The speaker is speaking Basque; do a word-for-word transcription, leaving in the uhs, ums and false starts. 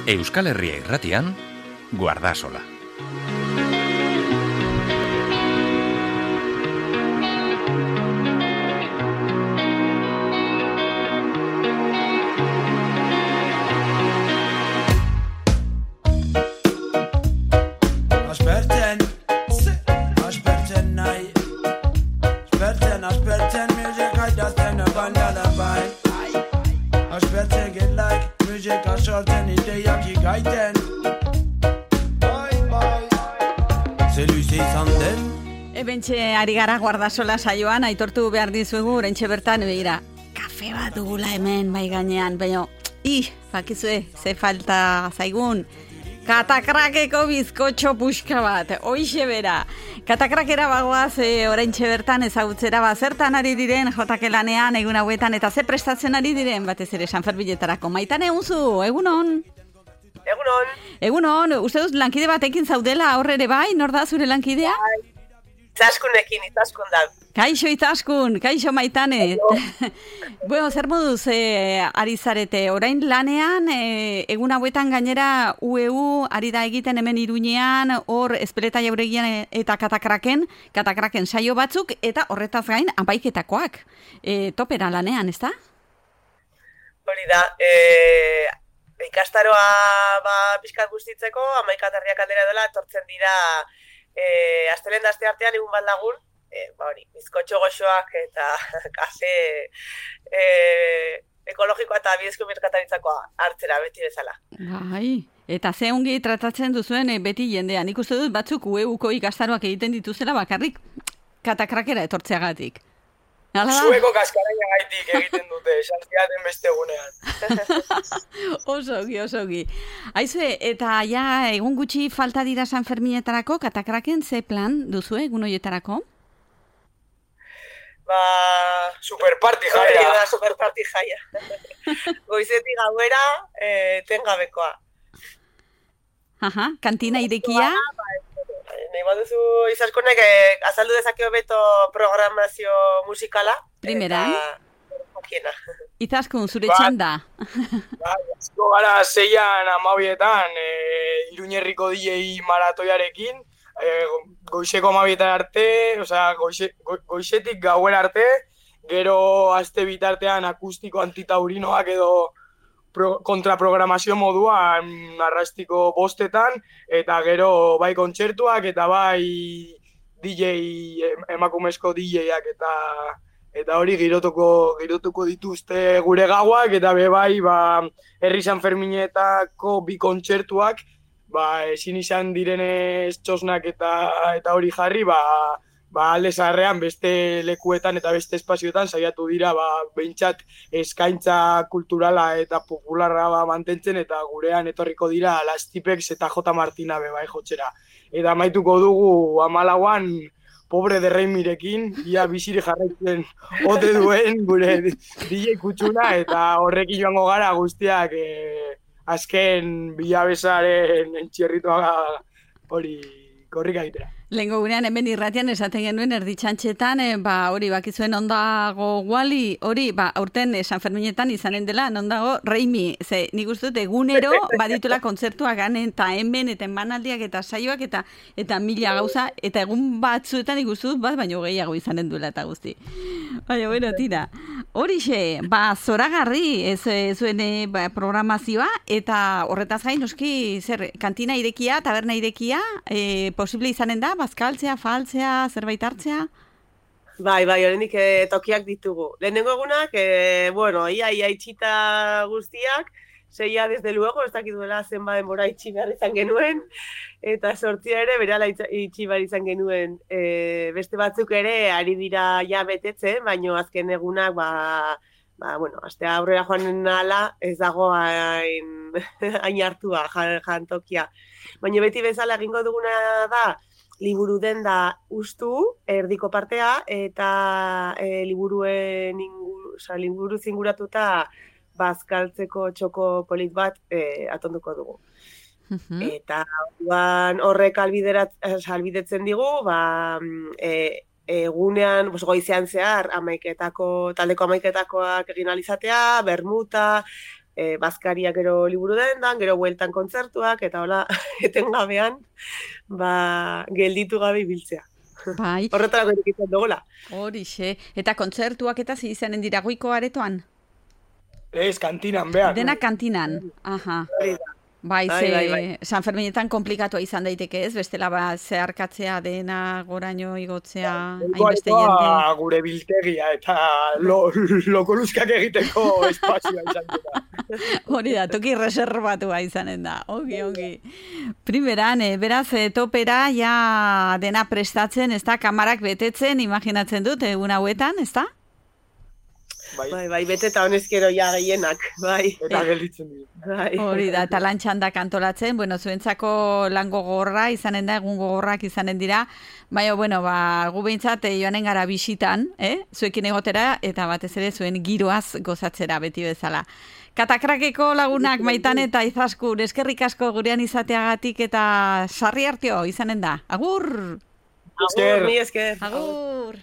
Euskal Herria Irratian, Guardasola. Ebentxe ari gara Guardasola saioan, aitortu behar dizuegu, oraintxe bertan, begira, kafe bat dugula hemen, bai gainean, baina, ih, bakizue, ze falta zaigun, katakrakeko bizkotxo puxka bat, hoixe bera. Katakrakera bagoaz, e, oraintxe bertan ezagutzera, ba, zertan ari diren, jotake lanean, egun hauetan, eta ze prestatzen ari diren, batez ere, Sanferminetarako. Maitane unzu, egunon? Egunon. Egunon, uste duz lankide batekin zaudela aurrere bai, nor da zure lankidea? Bai. Itzaskunekin, Itzaskun da. Kaixo Itzaskun, kaixo Maitane. Bueno, zer moduz e, ari zarete, orain lanean, e, egun hauetan gainera U E U ari da egiten hemen Iruñean, hor Ezpeleta Jauregian eta Katakraken, Katakraken saio batzuk, eta horretaz gain, amaiketakoak. E, topera lanean, ez da? Hori da, e, ikastaroa ba, pixkat guztitzeko, amaikatarriak aldera dela, etortzen dira E, astelen da aste artean egun bat lagun, e, ba hori, bizkotxo goxoak eta kafe e, ekologikoa eta bidezko merkataritzakoa hartzera beti bezala. Bai, eta ze ongi tratatzen duzuen e, beti jendean. Nik uste dut batzuk U E Uko ikastaroak egiten dituzela bakarrik katakrakera etortzeagatik. Zueko kaskaraina gaitik egiten dute, esanziaten beste egunean. Osogi, osogi. Aizue, eta ja egun gutxi falta dira Sanferminetarako, Katakraken ze plan duzu egun horietarako? Ba, superparty jaia. Da, superparty jaia. Goizetik gauera, e, tengabekoa. Aha, kantina irekia. Nahi baduzu Itzaskonek eh, azaldu dezakeo beto programazio musikala. Primeran. Eta Itzaskun, zure txanda. Ba, asko gara zeian amabietan, e, Iruñerriko D J maratoiarekin, e, goizeko amabietan arte, osea, goize, go, goizetik gauera arte, gero aste bitartean akustiko antitaurinoak edo Pro, kontraprogramazio moduan arrastiko bostetan, eta gero bai kontzertuak, eta bai D J, emakumezko D J-ak, eta eta hori girotuko, girotuko dituzte gure gauak, eta be bai, ba, herri Sanferminetako bi kontzertuak, ba, ezin izan direnez txosnak eta, eta hori jarri, ba, ba, alde zaharrean beste lekuetan eta beste espazioetan saiatu dira ba, behintzat eskaintza kulturala eta popularra ba, mantentzen eta gurean etorriko dira Las Tipex eta J. Martina be bai jotzera. Eta amaituko dugu hamalauan pobre de Reimirekin, ia bizire jarraitzen ote duen gure D J kutsuna eta horrekin joango gara guztiak e, azken bilabezaren entxerritoa hori korrika egitera. Lehenko gurean hemen irratian esaten genuen erditxantxetan, e, ba, hori bakizuen ondago guali, hori, ba, aurten e, Sanferminetan izanen dela, ondago Reimi, ze nik uste dut egunero baditula kontzertuak ganen, eta hemen, eta emanaldiak, eta saioak, eta eta mila gauza, eta egun batzuetan ikustu dut, bat, baino gehiago izanen duela eta guzti. Baina, bueno, tira. Horixe, ba, zoragarri ez, ez zuen e, ba, programazioa, eta horretaz gain, noski, zer, kantina irekia, taberna irekia, e, posible izanen da, bazkaltzea, faltzea, zerbait hartzea? Bai, bai, horrendik e, tokiak ditugu. Lehenengo egunak, e, bueno, ia, ia itxita guztiak, zeia, desde luego, ez dakit duela zenba denbora itxi behar izan genuen, eta sortzia ere, berala itxi behar izan genuen. E, beste batzuk ere, ari dira ja betetzen, baino azken egunak, ba, ba, bueno, astea aurrera joan nala, ez dago hain, hain hartua, jantokia. Baina beti bezala egingo duguna da, liburu denda ustu, erdiko partea, eta e, liburuen ingur, oza, liburu zinguratuta bazkaltzeko txoko polit bat e, atonduko dugu. Uh-huh. Eta horrek albidetzen digu, ba, e, egunean, pues, goizean zehar, amaiketako, taldeko amaiketakoak egin alizatea, bermuta, e, bazkariak gero liburu dendan, gero bueltan kontzertuak, eta hola, etengabean, ba, gelditu gabe ibiltzea. Bai. Horretarako irekitzen dugola. Horixe. Eta kontzertuak eta zi izanen dira goiko aretoan? Ez, kantinan behar. Dena kantinan. Aha. Bai, Bai, ze bai, bai. San Ferminetan komplikatua izan daiteke ez, bestela ba zeharkatzea dena goraino igotzea hainbeste jende. Ba, gure biltegia eta lo, lokoluzkak egiteko espazioa izan dira. Hori da, toki reservatua izanen da. Ongi, ongi. Primeran, eh, beraz, eh, topera ja dena prestatzen, ez da, kamarak betetzen, imaginatzen dut, egun hauetan, ez da? Bai, Bai, bai, bete eta honezkero ja gehienak, bai. eta gelditzen dira. Bai. Hori da, eta lan txandak antolatzen, bueno, zuentzako lan gogorra izanen da, egun gogorrak izanen dira, baina, bueno, ba, gu behintzat eh, joanen gara bisitan, eh? Zuekin egotera, eta batez ere zuen giroaz gozatzera beti bezala. Katakrakeko lagunak Maitan eta Izaskun, eskerrik asko gurean izateagatik eta sarri hartio izanen da. Agur! Agur, mi esker. Agur!